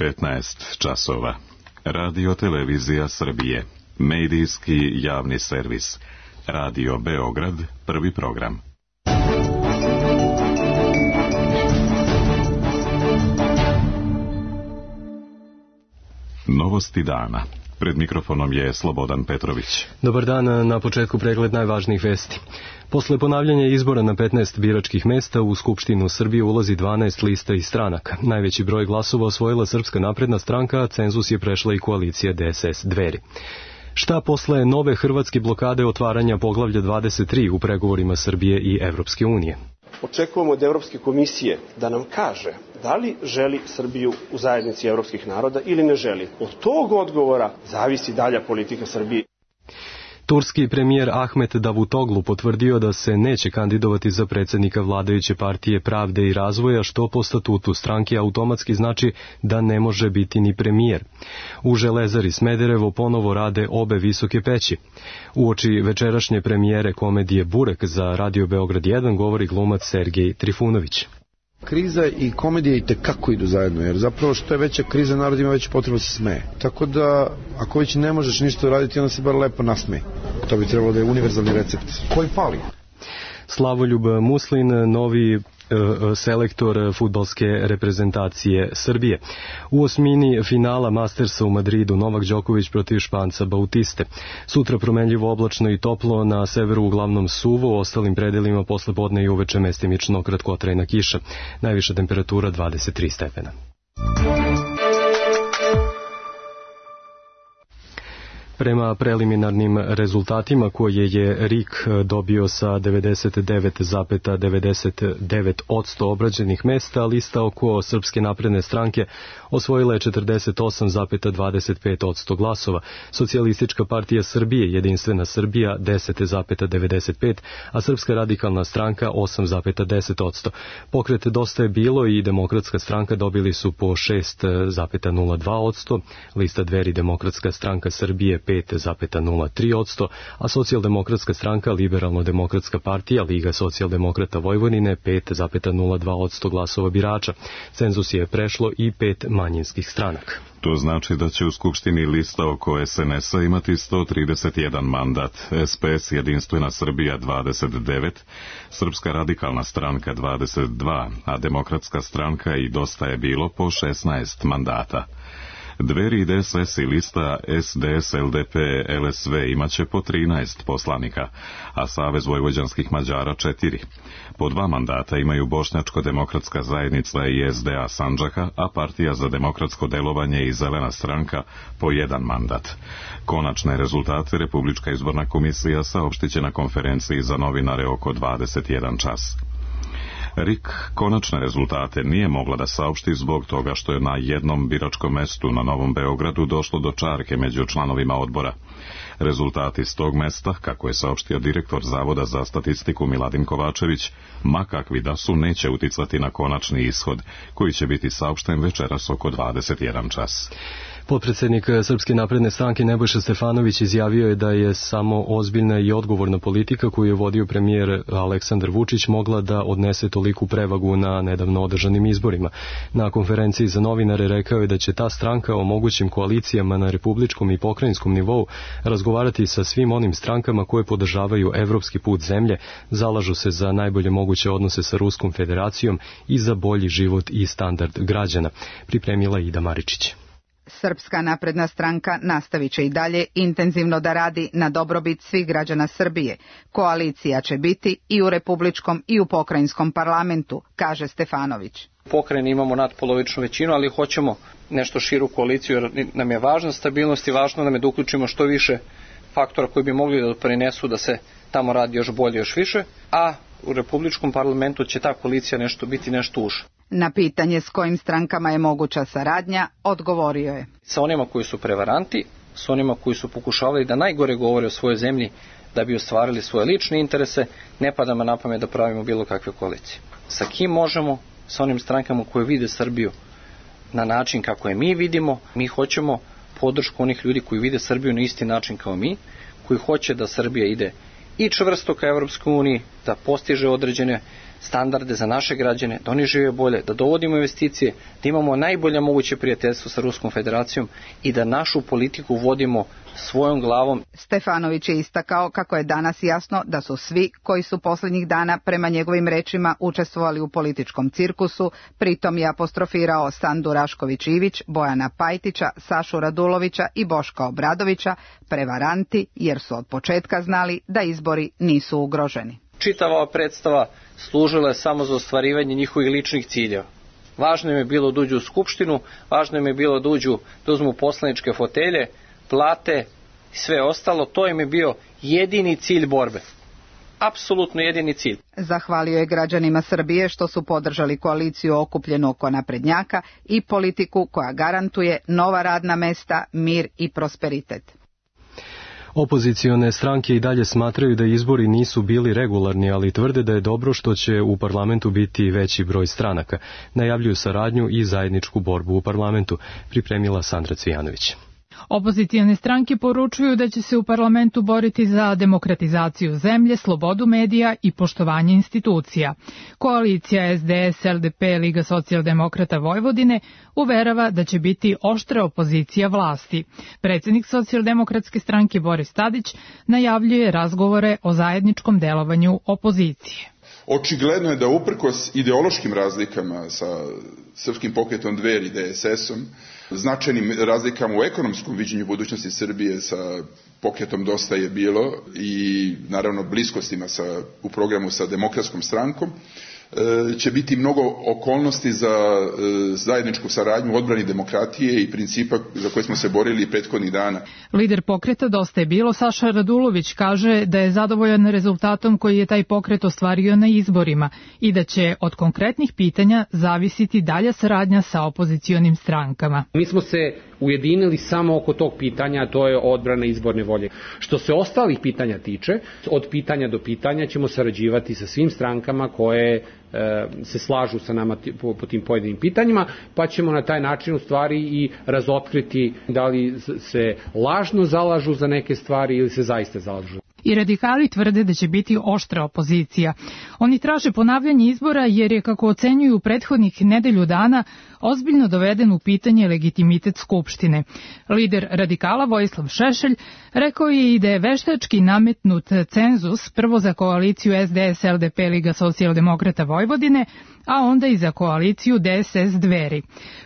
15 časova. Radio Televizija Srbije. Medijski javni servis. Radio Beograd, prvi program. Novosti dana. Pred mikrofonom je Slobodan Petrović. Dobar dan, na početku pregled najvažnijih vesti. Posle ponavljanja izbora na 15 biračkih mesta u Skupštinu Srbije ulazi 12 lista i stranaka. Najveći broj glasova osvojila Srpska napredna stranka, a cenzus je prešla i koalicija DSS Dveri. Šta posle nove hrvatske blokade otvaranja poglavlja 23 u pregovorima Srbije i Evropske unije? Očekujemo od Evropske komisije da nam kaže da li želi Srbiju u zajednici evropskih naroda ili ne želi. Od tog odgovora zavisi dalja politika Srbije. Turski premijer Ahmet Davutoglu potvrdio da se neće kandidovati za predsjednika vladajuće partije Pravde i razvoja, što po statutu stranke automatski znači da ne može biti ni premijer. U Železari Smederevo ponovo rade obe visoke peći. Uoči večerašnje premijere komedije Burek za Radio Beograd 1 govori glumac Sergej Trifunović. Kriza i komedija i tekako idu zajedno, jer zapravo što je veća kriza, narod ima veću potrebu da se smeje. Tako da, ako već ne možeš ništa raditi, onda se bar lepo nasmeje. To bi trebalo da je univerzalni recept. Koji fali? Slavoljub Muslin, novi selektor fudbalske reprezentacije Srbije. U osmini finala Mastersa u Madridu Novak Đoković protiv Španca Bautiste. Sutra promenljivo oblačno i toplo, na severu uglavnom suvo, u ostalim predelima posle podne i uveče mestimično kratkotrajna kiša. Najviša temperatura 23 stepena. Prema preliminarnim rezultatima koje je RIK dobio sa 99,99% obrađenih mesta, lista oko Srpske napredne stranke osvojila je 48,25% glasova, Socijalistička partija Srbije, Jedinstvena Srbija 10,95%, a Srpska radikalna stranka 8,10%. Pokret Dosta je bilo i Demokratska stranka dobili su po 6,02%, lista Dveri Demokratska stranka Srbije 5,03%, a Socijaldemokratska stranka, Liberalno-demokratska partija, Liga socijaldemokrata Vojvodine 5,02% glasova birača. Cenzus je prešlo i 5 manjinskih stranaka. To znači da će u Skupštini lista oko SNS-a imati 131 mandat, SPS Jedinstvena Srbija 29, Srpska radikalna stranka 22, a Demokratska stranka i Dosta je bilo po 16 mandata. Dveri i DSS i lista SDS, LDP, LSV imaće po 13 poslanika, a Savez vojvođanskih Mađara 4. Po 2 mandata imaju Bošnjačko-demokratska zajednica i SDA Sandžaka, a Partija za demokratsko delovanje i Zelena stranka po 1 mandat. Konačne rezultate Republička izborna komisija saopštiće na konferenciji za novinare oko 21 čas. RIK konačne rezultate nije mogla da saopšti zbog toga što je na jednom biračkom mestu na Novom Beogradu došlo do čarke među članovima odbora. Rezultati s tog mesta, kako je saopštio direktor Zavoda za statistiku Miladin Kovačević, ma kakvi da su, neće uticati na konačni ishod, koji će biti saopšten večeras oko 21 čas. Potpredsjednik Srpske napredne stranke Nebojša Stefanović izjavio je da je samo ozbiljna i odgovorna politika koju je vodio premijer Aleksandar Vučić mogla da odnese toliku prevagu na nedavno održanim izborima. Na konferenciji za novinare rekao je da će ta stranka o mogućim koalicijama na republičkom i pokrajinskom nivou razgovarati sa svim onim strankama koje podržavaju evropski put zemlje, zalažu se za najbolje moguće odnose sa Ruskom federacijom i za bolji život i standard građana, pripremila Ida Maričić. Srpska napredna stranka nastavit će i dalje intenzivno da radi na dobrobit svih građana Srbije. Koalicija će biti i u republičkom i u pokrajinskom parlamentu, kaže Stefanović. U pokrajini imamo nadpolovičnu većinu, ali hoćemo nešto širu koaliciju jer nam je važna stabilnost i važno nam je da uključimo što više faktora koji bi mogli da doprinesu da se tamo radi još bolje, još više, a u republičkom parlamentu će ta koalicija biti nešto uže. Na pitanje s kojim strankama je moguća saradnja, odgovorio je. Sa onima koji su prevaranti, sa onima koji su pokušavali da najgore govore o svojoj zemlji da bi ostvarili svoje lične interese, ne pada me na pamet da pravimo bilo kakve koalicije. Sa kim možemo? Sa onim strankama koje vide Srbiju na način kako je mi vidimo. Mi hoćemo podršku onih ljudi koji vide Srbiju na isti način kao mi, koji hoće da Srbija ide i čvrsto ka Evropskoj uniji, da postiže određene standarde za naše građane, da oni žive bolje, da dovodimo investicije, da imamo najbolje moguće prijateljstvo sa Ruskom federacijom i da našu politiku vodimo svojom glavom. Stefanović je istakao kako je danas jasno da su svi koji su posljednjih dana prema njegovim rečima učestvovali u političkom cirkusu, pritom je apostrofirao Sandu Rašković-Ivić, Bojana Pajtića, Sašu Radulovića i Boška Obradovića, prevaranti jer su od početka znali da izbori nisu ugroženi. Čitava predstava služila je samo za ostvarivanje njihovih ličnih ciljeva. Važno im je bilo da uđu u skupštinu, važno im je bilo da uzmu poslaničke fotelje, plate i sve ostalo. To im je bio jedini cilj borbe. Apsolutno jedini cilj. Zahvalio je građanima Srbije što su podržali koaliciju okupljenu oko naprednjaka i politiku koja garantuje nova radna mesta, mir i prosperitet. Opozicione stranke i dalje smatraju da izbori nisu bili regularni, ali tvrde da je dobro što će u parlamentu biti veći broj stranaka. Najavljuju saradnju i zajedničku borbu u parlamentu, pripremila Sandra Cvijanović. Opozicione stranke poručuju da će se u parlamentu boriti za demokratizaciju zemlje, slobodu medija i poštovanje institucija. Koalicija SDS, LDP, Liga socijaldemokrata Vojvodine uverava da će biti oštra opozicija vlasti. Predsjednik socijaldemokratske stranke Boris Tadić najavljuje razgovore o zajedničkom delovanju opozicije. Očigledno je da uprkos ideološkim razlikama sa Srpskim pokretom Dveri i DSS-om, značajnim razlikama u ekonomskom viđenju budućnosti Srbije sa pokretom Dosta je bilo i naravno bliskostima u programu sa Demokratskom strankom, će biti mnogo okolnosti za zajedničku saradnju u odbrani demokratije i principa za koje smo se borili prethodnih dana. Lider pokreta Dosta je bilo Saša Radulović kaže da je zadovoljan rezultatom koji je taj pokret ostvario na izborima i da će od konkretnih pitanja zavisiti dalja saradnja sa opozicionim strankama. Mi smo se ujedinili samo oko tog pitanja, a to je odbrana izborne volje. Što se ostalih pitanja tiče, od pitanja do pitanja ćemo sarađivati sa svim strankama koje se slažu sa nama po tim pojedinim pitanjima, pa ćemo na taj način u stvari i razotkriti da li se lažno zalažu za neke stvari ili se zaista zalažu. I radikali tvrde da će biti oštra opozicija. Oni traže ponavljanje izbora jer je, kako ocenjuju prethodnih nedelju dana, ozbiljno doveden u pitanje legitimitet Skupštine. Lider radikala Vojislav Šešelj rekao je i da je veštački nametnut cenzus prvo za koaliciju SDS, LDP, Liga socijaldemokrata Vojvodine, a onda i za koaliciju DSS Dveri.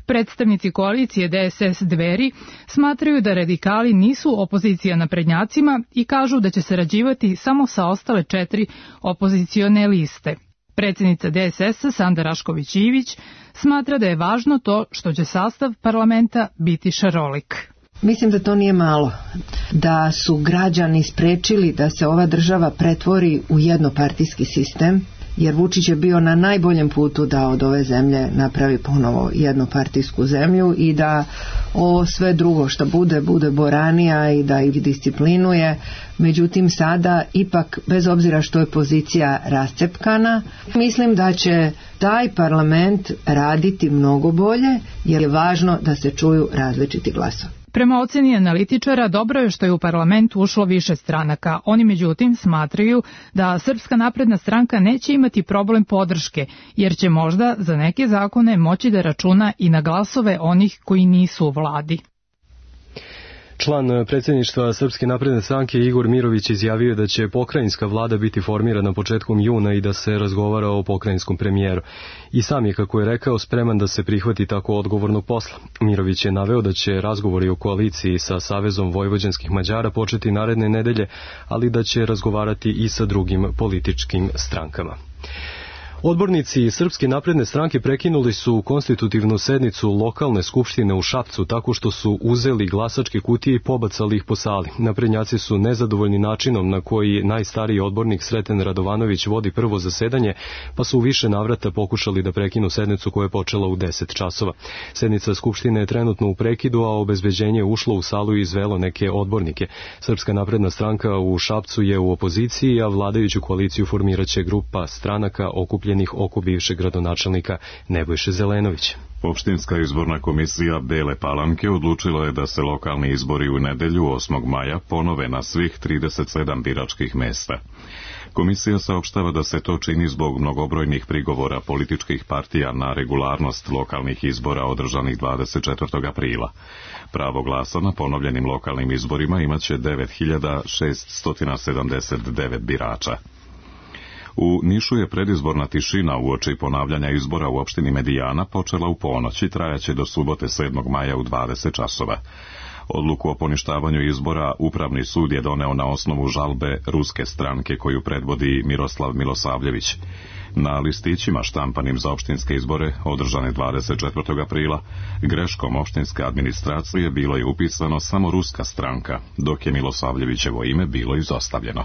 Predstavnici koalicije DSS Dveri smatraju da radikali nisu opozicija naprednjacima i kažu da će sarađivati samo sa ostale 4 opozicione liste. Predsjednica DSS-a Sanda Rašković-Ivić smatra da je važno to što će sastav parlamenta biti šarolik. Mislim da to nije malo, da su građani sprečili da se ova država pretvori u jednopartijski sistem, jer Vučić je bio na najboljem putu da od ove zemlje napravi ponovo jednopartijsku zemlju i da ovo sve drugo što bude boranija i da ih disciplinuje. Međutim, sada ipak, bez obzira što je pozicija rascepkana, mislim da će taj parlament raditi mnogo bolje, jer je važno da se čuju različiti glasovi. Prema oceni analitičara, dobro je što je u parlament ušlo više stranaka. Oni međutim smatraju da Srpska napredna stranka neće imati problem podrške, jer će možda za neke zakone moći da računa i na glasove onih koji nisu u vladi. Član predsjedništva Srpske napredne stranke Igor Mirović izjavio da će pokrajinska vlada biti formirana početkom juna i da se razgovara o pokrajinskom premijeru. I sam je, kako je rekao, spreman da se prihvati tako odgovornog posla. Mirović je naveo da će razgovori o koaliciji sa Savezom vojvođanskih Mađara početi naredne nedelje, ali da će razgovarati i sa drugim političkim strankama. Odbornici Srpske napredne stranke prekinuli su konstitutivnu sednicu lokalne skupštine u Šapcu tako što su uzeli glasačke kutije i pobacali ih po sali. Naprednjaci su nezadovoljni načinom na koji najstariji odbornik Sreten Radovanović vodi prvo zasedanje, pa su u više navrata pokušali da prekinu sednicu koja je počela u 10 časova. Sednica skupštine je trenutno u prekidu, a obezbeđenje je ušlo u salu i izvelo neke odbornike. Srpska napredna stranka u Šapcu je u opoziciji, a vladajuću koaliciju formiraće grupa stranaka okupljenih oko bivšeg gradonačelnika Nebojše Zelenovića. Opštinska izborna komisija Bele Palanke odlučila je da se lokalni izbori u nedelju 8. maja ponove na svih 37 biračkih mesta. Komisija saopštava da se to čini zbog mnogobrojnih prigovora političkih partija na regularnost lokalnih izbora održanih 24. aprila. Pravo glasa na ponovljenim lokalnim izborima imaće 9679 birača. U Nišu je predizborna tišina uoči ponavljanja izbora u opštini Medijana počela u ponoć i trajaće do subote 7. maja u 20 časova. Odluku o poništavanju izbora Upravni sud je doneo na osnovu žalbe ruske stranke koju predvodi Miroslav Milosavljević. Na listićima štampanim za opštinske izbore, održane 24. aprila, greškom opštinske administracije bilo je upisano samo ruska stranka, dok je Milosavljevićevo ime bilo izostavljeno.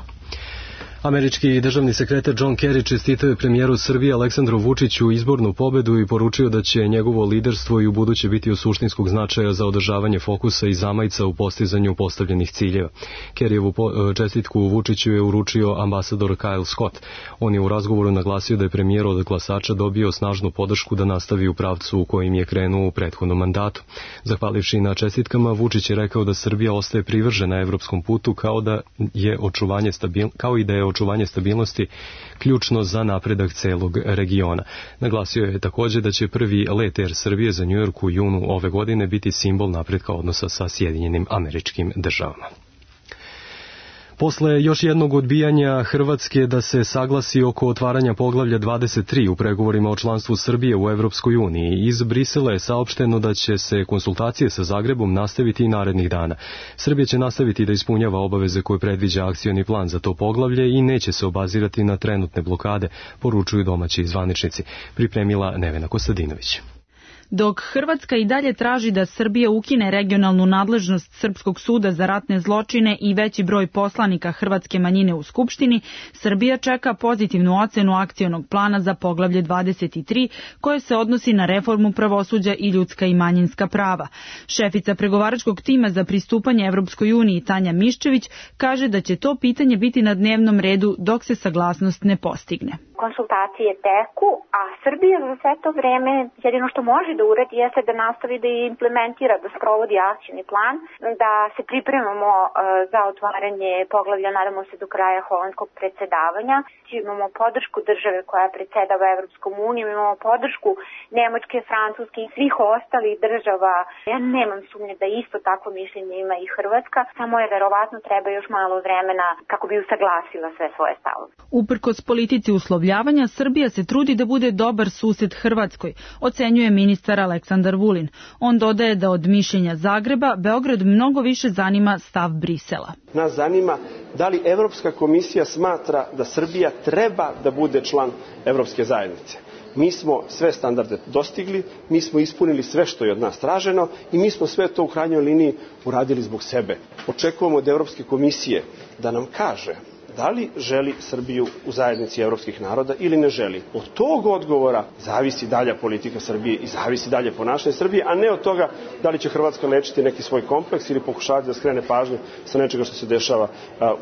Američki državni sekretar John Kerry čestitao je premijeru Srbije Aleksandru Vučiću izbornu pobedu i poručio da će njegovo liderstvo i u buduće biti od suštinskog značaja za održavanje fokusa i zamajca u postizanju postavljenih ciljeva. Kerryevu čestitku Vučiću je uručio ambasador Kyle Scott. On je u razgovoru naglasio da je premijer od glasača dobio snažnu podršku da nastavi u pravcu u kojim je krenuo u prethodnom mandatu. Zahvalivši na čestitkama, Vučić je rekao da Srbija ostaje privržena evropskom putu kao i da je očuvanje stabilnosti ključno za napredak celog regiona. Naglasio je također da će prvi let Air Srbije za New York u junu ove godine biti simbol napretka odnosa sa Sjedinjenim Američkim Državama. Posle još jednog odbijanja Hrvatske da se saglasi oko otvaranja poglavlja 23 u pregovorima o članstvu Srbije u Evropskoj uniji, iz Brisela je saopšteno da će se konsultacije sa Zagrebom nastaviti i narednih dana. Srbija će nastaviti da ispunjava obaveze koje predviđa akcioni plan za to poglavlje i neće se obazirati na trenutne blokade, poručuju domaći zvaničnici. Pripremila Nevena Kostadinović. Dok Hrvatska i dalje traži da Srbija ukine regionalnu nadležnost Srpskog suda za ratne zločine i veći broj poslanika hrvatske manjine u Skupštini, Srbija čeka pozitivnu ocenu akcionog plana za poglavlje 23, koje se odnosi na reformu pravosuđa i ljudska i manjinska prava. Šefica pregovaračkog tima za pristupanje Evropskoj uniji Tanja Miščević kaže da će to pitanje biti na dnevnom redu dok se saglasnost ne postigne. Konsultacije teku, a Srbija za sve to vreme jedino što može da uradi jeste da nastavi da implementira, da sprovodi akcioni plan, da se pripremamo za otvaranje poglavlja, nadamo se do kraja holandskog predsedavanja. Imamo podršku države koja predsedava Evropskom unijom, imamo podršku Nemačke, Francuske i svih ostalih država. Ja nemam sumnje da isto takvo mišljenje ima i Hrvatska, samo je verovatno treba još malo vremena kako bi usaglasila sve svoje stavove. Uprkos politici uslovljavanja, Srbija se trudi da bude dobar sused Hrvatskoj, ocenjuje ministar Aleksandar Vulin. On dodaje da od mišljenja Zagreba Beograd mnogo više zanima stav Brisela. Nas zanima da li Evropska komisija smatra da Srbija treba da bude član Evropske zajednice. Mi smo sve standarde dostigli, mi smo ispunili sve što je od nas traženo i mi smo sve to u krajnjoj liniji uradili zbog sebe. Očekujemo od Evropske komisije da nam kaže da li želi Srbiju u zajednici evropskih naroda ili ne želi. Od tog odgovora zavisi dalja politika Srbije i zavisi dalje ponašanje Srbije, a ne od toga da li će Hrvatska lečiti neki svoj kompleks ili pokušavati da skrene pažnju sa nečega što se dešava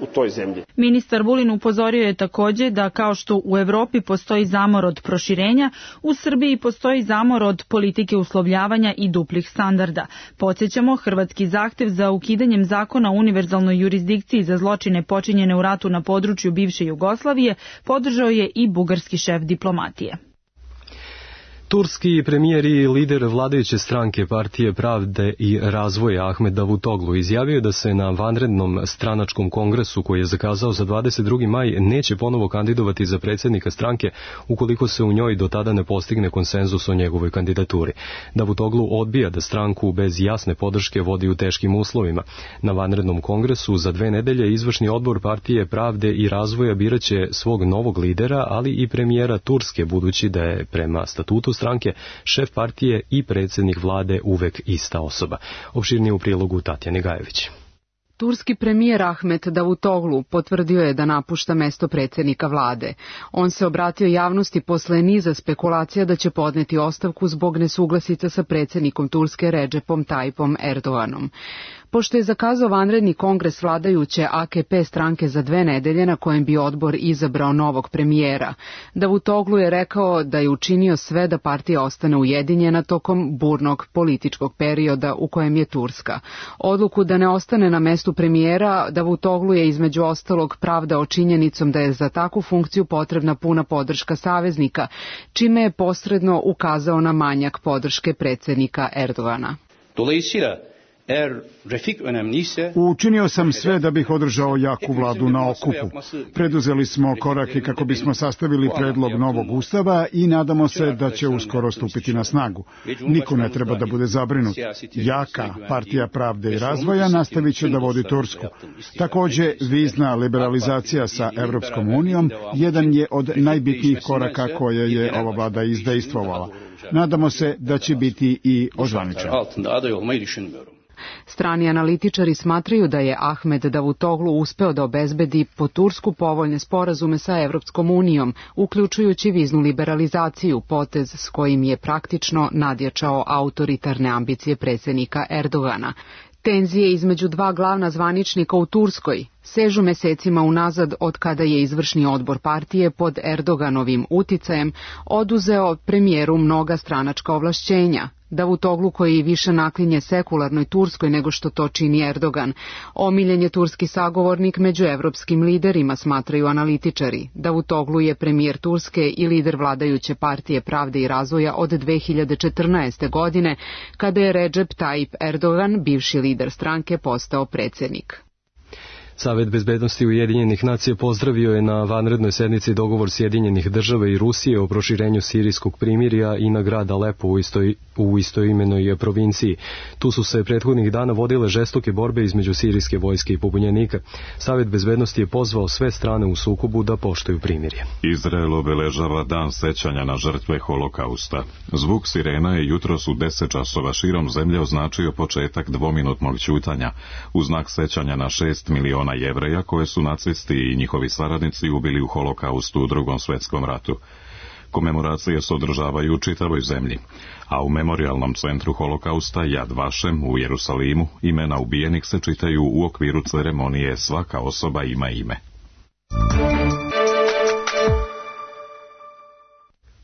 u toj zemlji. Ministar Vulin upozorio je također da kao što u Evropi postoji zamor od proširenja, u Srbiji postoji zamor od politike uslovljavanja i duplih standarda. Podsjećamo, hrvatski zahtev za ukidanjem zakona o univerzalnoj jurisdikciji za zločine počinjene u ratu na području bivše Jugoslavije podržao je i bugarski šef diplomatije. Turski premijer i lider vladajuće stranke Partije pravde i razvoja Ahmed Davutoglu izjavio da se na vanrednom stranačkom kongresu koji je zakazao za 22. maj neće ponovo kandidovati za predsjednika stranke ukoliko se u njoj do tada ne postigne konsenzus o njegovoj kandidaturi. Davutoglu odbija da stranku bez jasne podrške vodi u teškim uslovima. Na vanrednom kongresu za 2 nedelje izvršni odbor Partije pravde i razvoja biraće svog novog lidera, ali i premijera Turske, budući da je prema statutu stranke šef partije i predsjednik vlade uvek ista osoba. Opširnije u prilogu Tatjane Gajević. Turski premijer Ahmet Davutoglu potvrdio je da napušta mesto predsjednika vlade. On se obratio javnosti posle niza spekulacija da će podneti ostavku zbog nesuglasica sa predsjednikom Turske Recepom Tayyipom Erdoganom. Pošto je zakazao vanredni kongres vladajuće AKP stranke za 2 nedelje na kojem bi odbor izabrao novog premijera, Davutoglu je rekao da je učinio sve da partija ostane ujedinjena tokom burnog političkog perioda u kojem je Turska. Odluku da ne ostane na mestu premijera Davutoglu je između ostalog pravdao činjenicom da je za takvu funkciju potrebna puna podrška saveznika, čime je posredno ukazao na manjak podrške predsjednika Erdogana. Učinio sam sve da bih održao jaku vladu na okupu. Preduzeli smo korake kako bismo sastavili predlog novog ustava i nadamo se da će uskoro stupiti na snagu. Niko ne treba da bude zabrinut. Jaka partija pravde i razvoja nastavit će da vodi Tursku. Takođe, vizna liberalizacija sa Evropskom unijom jedan je od najbitnijih koraka koje je ova vlada izdejstvovala. Nadamo se da će biti i ozvaničen. Strani analitičari smatraju da je Ahmed Davutoglu uspeo da obezbedi po Tursku povoljne sporazume sa Evropskom unijom, uključujući viznu liberalizaciju, potez s kojim je praktično nadjačao autoritarne ambicije predsjednika Erdogana. Tenzije između 2 glavna zvaničnika u Turskoj sežu mesecima unazad od kada je izvršni odbor partije pod Erdoganovim uticajem oduzeo premijeru mnoga stranačka ovlašćenja. Davutoglu, koji više naklinje sekularnoj Turskoj nego što to čini Erdogan, omiljen je turski sagovornik među evropskim liderima, smatraju analitičari. Davutoglu je premijer Turske i lider vladajuće partije pravde i razvoja od 2014. godine, kada je Recep Tayyip Erdogan, bivši lider stranke, postao predsjednik. Savet bezbednosti Ujedinjenih nacija pozdravio je na vanrednoj sednici dogovor Sjedinjenih država i Rusije o proširenju sirijskog primirja i na grad Alepo u istoimenoj provinciji. Tu su se prethodnih dana vodile žestoke borbe između sirijske vojske i pobunjenika. Savet bezbednosti je pozvao sve strane u sukobu da poštuju primirje. Izrael obeležava dan sećanja na žrtve Holokausta. Zvuk sirena je jutros u 10 časova širom zemlje označio početak dvominutnog ćutanja u znak sećanja na 6 miliona Jevreja koje su nacisti i njihovi saradnici ubili u Holokaustu u Drugom svetskom ratu. Komemoracije se održavaju u čitavoj zemlji, a u memorijalnom centru Holokausta Yad Vashem u Jerusalimu imena ubijenih se čitaju u okviru ceremonije Svaka osoba ima ime.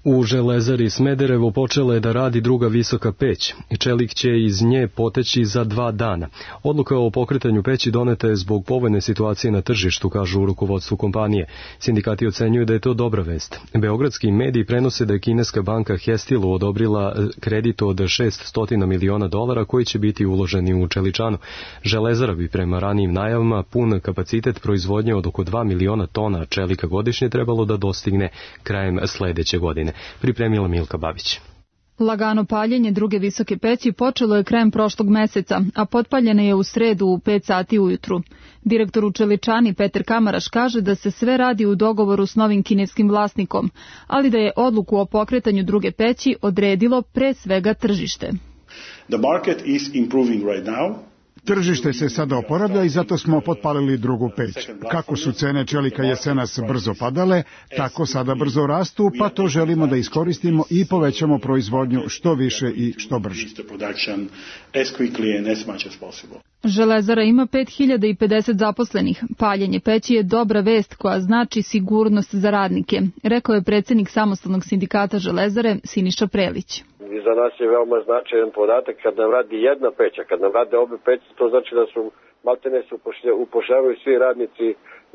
U Železari Smederevo počela je da radi druga visoka peć i čelik će iz nje poteći za 2 dana. Odluka o pokretanju peći doneta je zbog povoljne situacije na tržištu, kažu u rukovodstvu kompanije. Sindikati ocenjuju da je to dobra vest. Beogradski mediji prenose da je kineska banka Hestilu odobrila kredit od $600 miliona koji će biti uloženi u čeličanu. Železara bi prema ranijim najavama pun kapacitet proizvodnje od oko 2 miliona tona čelika godišnje trebalo da dostigne krajem sledeće godine. Pripremila Milka Babić. Lagano paljenje druge visoke peći počelo je krajem prošlog meseca, a potpaljena je u sredu u 5 sati ujutru. Direktor u čeličani Petar Kamaraš kaže da se sve radi u dogovoru s novim kineskim vlasnikom, ali da je odluku o pokretanju druge peći odredilo pre svega tržište. The market is improving right now. Tržište se sada oporavlja i zato smo potpalili drugu peć. Kako su cene čelika jesenas brzo padale, tako sada brzo rastu, pa to želimo da iskoristimo i povećamo proizvodnju što više i što brže. Železara ima 5050 zaposlenih. Paljenje peći je dobra vest koja znači sigurnost za radnike, rekao je predsjednik samostalnog sindikata Železare Siniša Prelić. I za nas je veoma značajan podatak kad nam radi jedna peća, kad nam rade obe peći, to znači da su maltene se upošljavaju svi radnici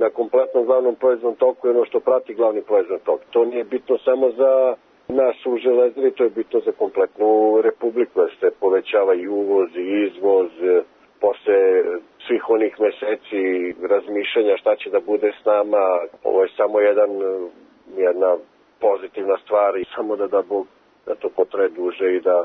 na kompletnom glavnom proizvodnom toku i ono što prati glavni proizvodni tok. To nije bitno samo za nas u Železari, to je bitno za kompletnu republiku, da se povećava i uvoz i izvoz, posle svih onih meseci razmišljanja šta će da bude s nama. Ovo je samo jedna pozitivna stvar i samo da Bog da to potraje duže i da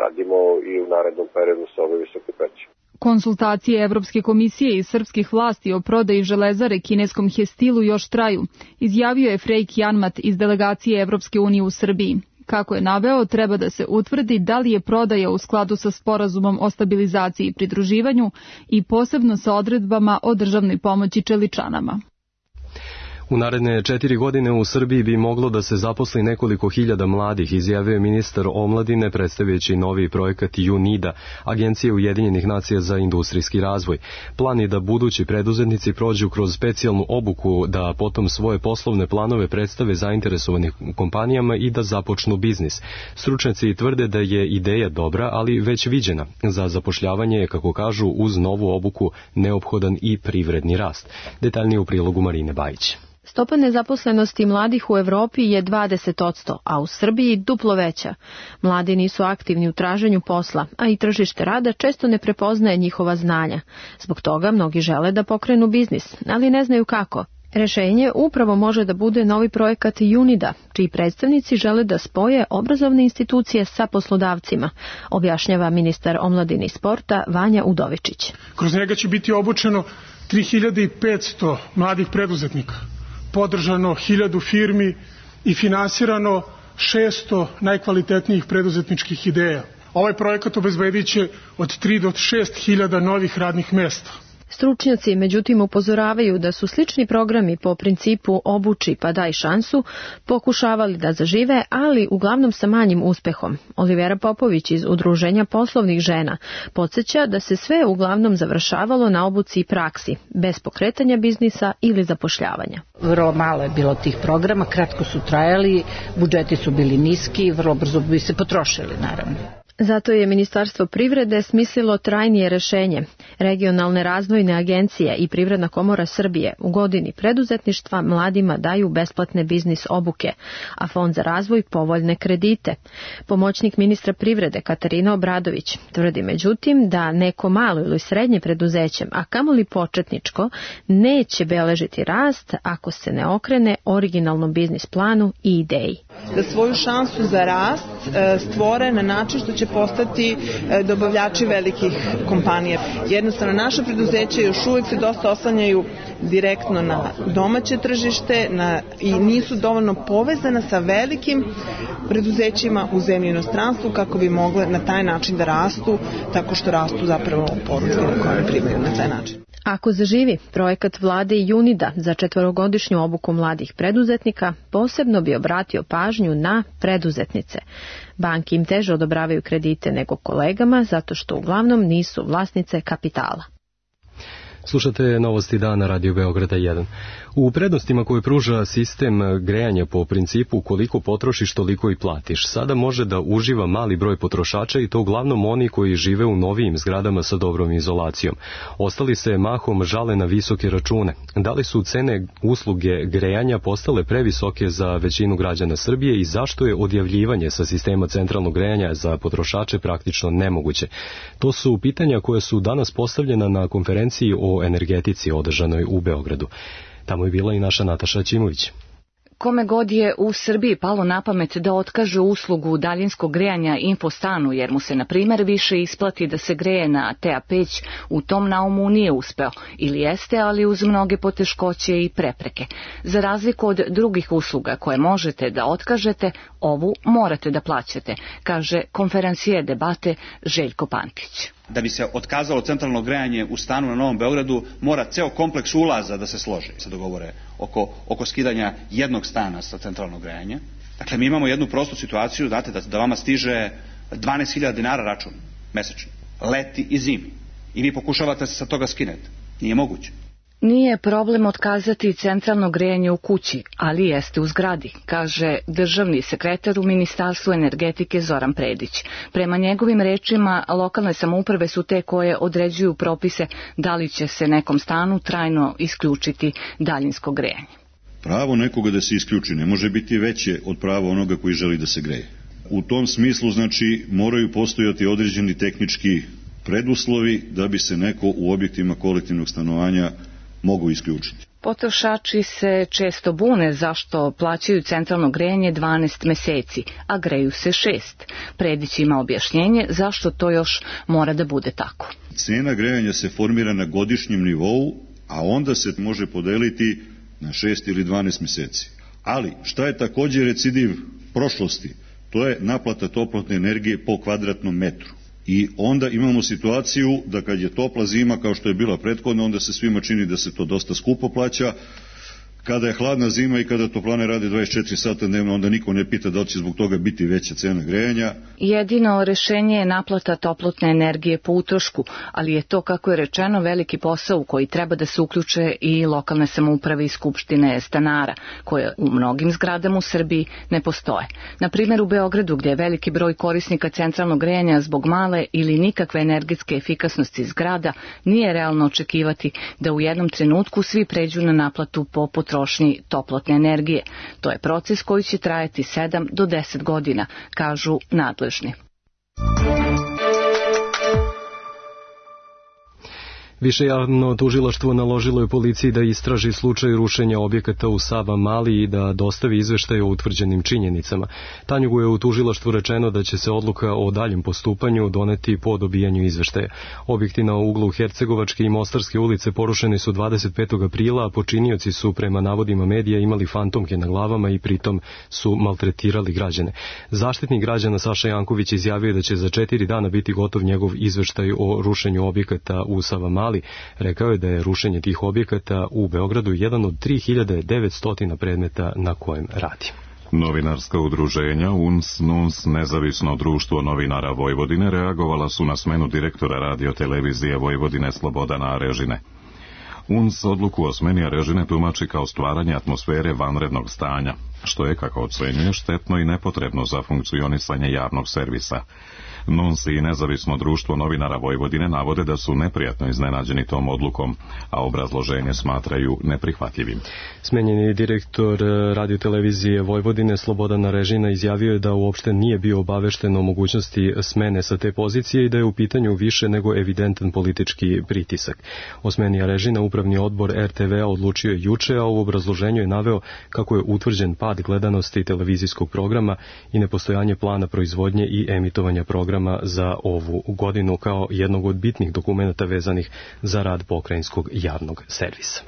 radimo i u narednom periodu sa ove visoke peći. Konsultacije Evropske komisije i srpskih vlasti o prodaji Železare kineskom Hestilu još traju, izjavio je Frejk Janmat iz delegacije Evropske unije u Srbiji. Kako je naveo, treba da se utvrdi da li je prodaja u skladu sa sporazumom o stabilizaciji i pridruživanju i posebno sa odredbama o državnoj pomoći čeličanama. U naredne 4 godine u Srbiji bi moglo da se zaposli nekoliko hiljada mladih, izjavio je ministar omladine predstavljajući novi projekat UNIDA, Agencije Ujedinjenih nacija za industrijski razvoj. Plan je da budući preduzetnici prođu kroz specijalnu obuku, da potom svoje poslovne planove predstave zainteresovanim kompanijama i da započnu biznis. Stručnjaci tvrde da je ideja dobra, ali već viđena. Za zapošljavanje je, kako kažu, uz novu obuku neophodan i privredni rast. Detaljnije u prilogu Marine Bajić. Stopa nezaposlenosti mladih u Evropi je 20%, a u Srbiji duplo veća. Mladi nisu aktivni u traženju posla, a i tržište rada često ne prepoznaje njihova znanja. Zbog toga mnogi žele da pokrenu biznis, ali ne znaju kako. Rešenje upravo može da bude novi projekat UNIDA, čiji predstavnici žele da spoje obrazovne institucije sa poslodavcima, objašnjava ministar omladine i sporta Vanja Udovičić. Kroz njega će biti obučeno 3500 mladih preduzetnika, podržano 1000 firmi i finansirano 600 najkvalitetnijih preduzetničkih ideja. Ovaj projekat obezbedit će od 3 do 6 hiljada novih radnih mesta. Stručnjaci međutim upozoravaju da su slični programi po principu obuči pa daj šansu pokušavali da zažive, ali uglavnom sa manjim uspehom. Olivera Popović iz Udruženja poslovnih žena podsjeća da se sve uglavnom završavalo na obuci i praksi, bez pokretanja biznisa ili zapošljavanja. Vrlo malo je bilo tih programa, kratko su trajali, budžeti su bili niski, vrlo brzo bi se potrošili naravno. Zato je Ministarstvo privrede smislilo trajnije rešenje. Regionalne razvojne agencije i Privredna komora Srbije u godini preduzetništva mladima daju besplatne biznis obuke, a Fond za razvoj povoljne kredite. Pomoćnik ministra privrede Katarina Obradović tvrdi međutim da neko malo ili srednje preduzeće, a kamoli početničko, neće beležiti rast ako se ne okrene originalnom biznis planu i ideji. Da svoju šansu za rast stvore na način što će postati dobavljači velikih kompanija. Jednostavno, naše preduzeće još uvijek se dosta oslanjaju direktno na domaće tržište i nisu dovoljno povezana sa velikim preduzećima u zemlji i inostranstvu kako bi mogle na taj način da rastu, tako što rastu zapravo poručke koje primaju na taj način. Ako zaživi, projekat vlade UNIDA za 4-godišnju obuku mladih preduzetnika posebno bi obratio pažnju na preduzetnice. Banke im teže odobravaju kredite nego kolegama zato što uglavnom nisu vlasnice kapitala. Slušate novosti dana Radio Beograda 1. U prednostima koje pruža sistem grejanja po principu koliko potrošiš toliko i platiš, sada može da uživa mali broj potrošača i to uglavnom oni koji žive u novijim zgradama sa dobrom izolacijom. Ostali se mahom žale na visoke račune. Da li su cene usluge grejanja postale previsoke za većinu građana Srbije i zašto je odjavljivanje sa sistema centralnog grejanja za potrošače praktično nemoguće? To su pitanja koje su danas postavljena na konferenciji o energetici održanoj u Beogradu. Tamo je bila i naša Nataša Ćimović. Kome god je u Srbiji palo na pamet da otkaže uslugu daljinskog grejanja Infostanu, jer mu se, na primjer, više isplati da se greje na TA peć, u tom naumu nije uspeo, ili jeste, ali uz mnoge poteškoće i prepreke. Za razliku od drugih usluga koje možete da otkažete, ovu morate da plaćate, kaže konferencijer debate Željko Pantić. Da bi se otkazalo centralno grejanje u stanu na Novom Beogradu, mora ceo kompleks ulaza da se složi, se dogovore oko skidanja jednog stana sa centralnog grejanja. Dakle, mi imamo jednu prostu situaciju, znate, da vama stiže 12.000 dinara račun mesečno, leti i zimi. I vi pokušavate se sa toga skinete. Nije moguće. Nije problem otkazati centralno grejanje u kući, ali jeste u zgradi, kaže državni sekretar u Ministarstvu energetike Zoran Predić. Prema njegovim rečima, lokalne samouprave su te koje određuju propise da li će se nekom stanu trajno isključiti daljinsko grejanje. Pravo nekoga da se isključi ne može biti veće od prava onoga koji želi da se greje. U tom smislu, znači, moraju postojati određeni tehnički preduslovi da bi se neko u objektima kolektivnog stanovanja mogu isključiti. Potrošači se često bune zašto plaćaju centralno grejanje 12 meseci, a greju se 6. Predić ima objašnjenje zašto to još mora da bude tako. Cena grejanja se formira na godišnjem nivou, a onda se može podeliti na 6 ili 12 meseci. Ali, šta je također recidiv prošlosti? To je naplata toplotne energije po kvadratnom metru. I onda imamo situaciju da kad je topla zima kao što je bila prethodna, onda se svima čini da se to dosta skupo plaća. Kada je hladna zima i kada toplane rade 24 sata dnevno, onda niko ne pita da li će zbog toga biti veća cena grejanja. Jedino rešenje je naplata toplotne energije po utrošku, ali je to, kako je rečeno, veliki posao u koji treba da se uključe i lokalne samouprave i skupštine stanara, koje u mnogim zgradama u Srbiji ne postoje. Na primjer u Beogradu, gdje je veliki broj korisnika centralnog grejanja zbog male ili nikakve energetske efikasnosti zgrada, nije realno očekivati da u jednom trenutku svi pređu na naplatu po potrošnji toplotne energije. To je proces koji će trajati 7 do 10 godina, kažu nadležni. Više javno tužilaštvo naložilo je policiji da istraži slučaj rušenja objekata u Savamali i da dostavi izveštaj o utvrđenim činjenicama. Tanjugu je u tužilaštvu rečeno da će se odluka o daljem postupanju doneti po dobijanju izveštaja. Objekti na uglu Hercegovačke i Mostarske ulice porušeni su 25. aprila, a počinioci su prema navodima medija imali fantomke na glavama i pritom su maltretirali građane. Zaštitnik građana Saša Janković izjavio da će za 4 dana biti gotov njegov izveštaj o rušenju objekata u Savamali. Rekao je da je rušenje tih objekata u Beogradu jedan od 3900 predmeta na kojem radi. Novinarska udruženja UNS, NUNS, Nezavisno društvo novinara Vojvodine reagovala su na smenu direktora radio-televizije Vojvodine Slobodana Arežine. UNS odluku o smeni Arežine tumači kao stvaranje atmosfere vanrednog stanja, što je, kako ocenjuje, štetno i nepotrebno za funkcionisanje javnog servisa. NUNS i Nezavisno društvo novinara Vojvodine navode da su neprijatno iznenađeni tom odlukom, a obrazloženje smatraju neprihvatljivim. Smenjeni direktor radiotelevizije Vojvodine Slobodan Arežina izjavio je da uopšte nije bio obavešten o mogućnosti smene sa te pozicije i da je u pitanju više nego evidentan politički pritisak. O smeni Arežina upravni odbor RTV-a odlučio je juče, a u obrazloženju je naveo kako je utvrđen pad gledanosti televizijskog programa i nepostojanje plana proizvodnje i emitovanja programa za ovu godinu kao jednog od bitnih dokumenata vezanih za rad pokrajinskog javnog servisa.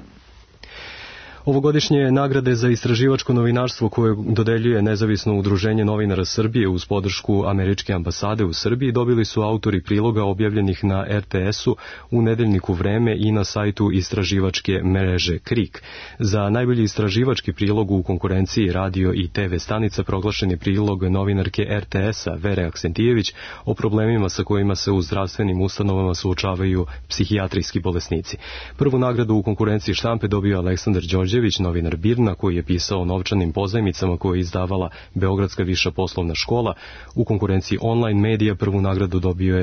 Ovogodišnje nagrade za istraživačko novinarstvo koje dodeljuje Nezavisno udruženje novinara Srbije uz podršku Američke ambasade u Srbiji dobili su autori priloga objavljenih na RTS-u, u nedeljniku Vreme i na sajtu istraživačke mreže KRIK. Za najbolji istraživački prilog u konkurenciji radio i TV stanica proglašen je prilog novinarke RTS-a Vere Aksentijević o problemima sa kojima se u zdravstvenim ustanovama suočavaju psihijatrijski bolesnici. Prvu nagradu u konkurenciji štampe dobio Aleksandar Đorđević, novinar BIRN-a, koji je pisao o novčanim pozajmicama koje je izdavala Beogradska viša poslovna škola. U konkurenciji online medija prvu nagradu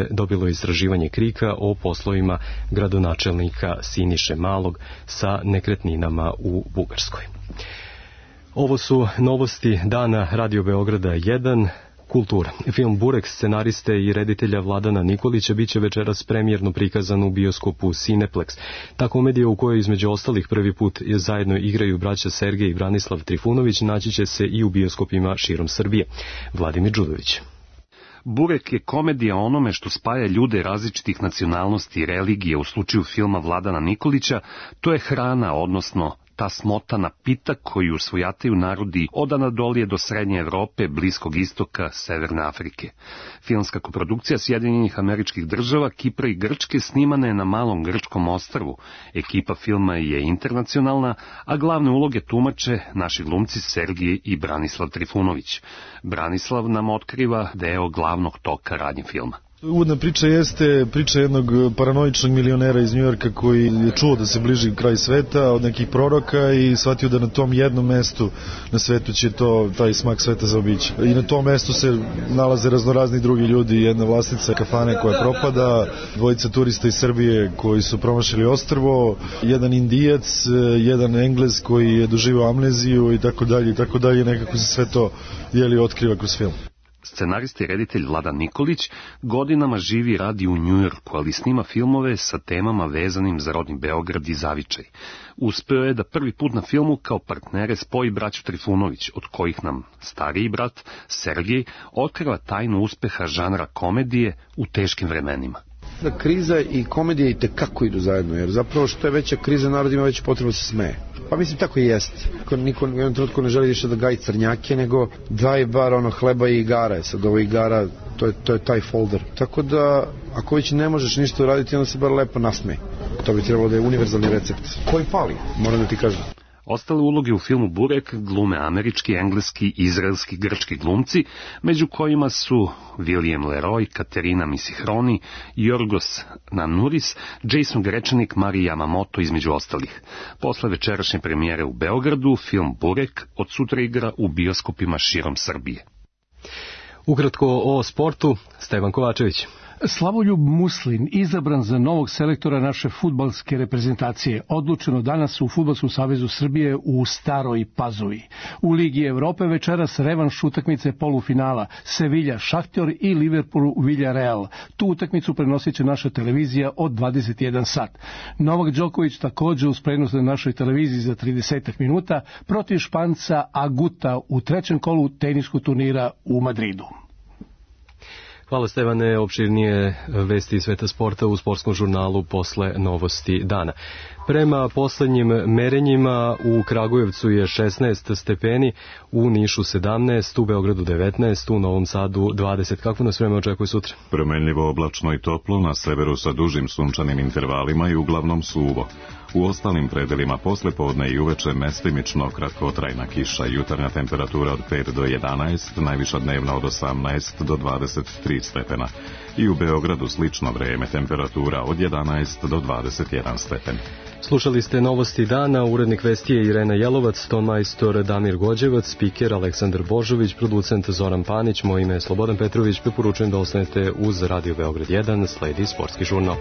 dobilo je istraživanje KRIK-a o poslovima gradonačelnika Siniše Malog sa nekretninama u Bugarskoj. Ovo su novosti dana Radio Beograda 1. Kultura. Film Burek scenariste i reditelja Vladana Nikolića biće večeras premijerno prikazan u bioskopu Cineplex. Ta komedija u kojoj između ostalih prvi put zajedno igraju braća Sergej i Branislav Trifunović naći će se i u bioskopima širom Srbije. Vladimir Đudović. Burek je komedija o onome što spaja ljude različitih nacionalnosti i religije. U slučaju filma Vladana Nikolića to je hrana, odnosno ta smotana pita koju svojataju narodi od Anadolije do Srednje Evrope, Bliskog istoka, Severne Afrike. Filmska koprodukcija Sjedinjenih Američkih Država, Kipra i Grčke snimana je na malom grčkom ostrvu. Ekipa filma je internacionalna, a glavne uloge tumače naši glumci Sergij i Branislav Trifunović. Branislav nam otkriva deo glavnog toka radnje filma. Uvodna priča jeste priča jednog paranoičnog milionera iz Njujorka koji je čuo da se bliži kraj sveta od nekih proroka i shvatio da na tom jednom mestu na svetu će taj smak sveta zaobići. I na tom mestu se nalaze raznorazni drugi ljudi, jedna vlasnica kafane koja propada, dvojica turista iz Srbije koji su promašili ostrvo, jedan Indijac, jedan Englez koji je doživao amneziju i tako dalje, nekako se sve to otkriva kroz film. Scenarist i reditelj Vladan Nikolić godinama živi i radi u Njujorku, ali snima filmove sa temama vezanim za rodni Beograd i zavičaj. Uspeo je da prvi put na filmu kao partnere spoji braću Trifunović, od kojih nam stariji brat, Sergij, otkriva tajnu uspeha žanra komedije u teškim vremenima. Da kriza i komedija i tekako idu zajedno, jer zapravo što je veća kriza, narod ima veću potrebu da se smeje. Pa mislim tako i jest. Niko u jednom trenutku ne želi više da gaji crnjake, nego daj bar hleba i igara. Sad ovo igara, to je taj folder. Tako da, ako već ne možeš ništa uraditi, onda se bar lepo nasmej. To bi trebalo da je univerzalni recept. Koji fali, moram da ti kažem. Ostale uloge u filmu Burek glume američki, engleski i izraelski grčki glumci, među kojima su William Leroy, Katerina Misihroni, Jorgos Nanuris, Jason Grečanik, Mari Yamamoto između ostalih. Posle večerašnje premijere u Beogradu, film Burek od sutra igra u bioskopima širom Srbije. Ukratko o sportu, Stevan Kovačević. Slavoljub Muslin izabran za novog selektora naše fudbalske reprezentacije, odlučeno danas u Fudbalskom savezu Srbije u Staroj Pazovi. U Ligi Evrope večeras revanš utakmice polufinala Sevilla Šahtjor i Liverpool Villarreal. Tu utakmicu prenosit će naša televizija od 21 sat. Novak Đoković takođe uz prenos na našoj televiziji za 30 minuta protiv Španca Aguta u trećem kolu teniskog turnira u Madridu. Hvala Stevane, opširnije vesti iz sveta sporta u sportskom žurnalu posle novosti dana. Prema poslednjim merenjima u Kragujevcu je 16 stepeni, u Nišu 17, u Beogradu 19, u Novom Sadu 20. Kako nas vreme očekuje sutra? Promenljivo oblačno i toplo, na severu sa dužim sunčanim intervalima i uglavnom suvo. U ostalim predelima poslepodne i uveče mestimično kratkotrajna kiša, jutarnja temperatura od 5 do 11, najviša dnevna od 18 do 23 stepena. I u Beogradu slično vreme, temperatura od 11 do 21 stepen. Slušali ste novosti dana, urednik vesti je Irena Jelovac, tonmajstor Damir Gođevac, spiker Aleksandar Božović, producent Zoran Panić, moje ime je Slobodan Petrović, preporučujem da ostanete uz Radio Beograd 1, sledi sportski žurnal.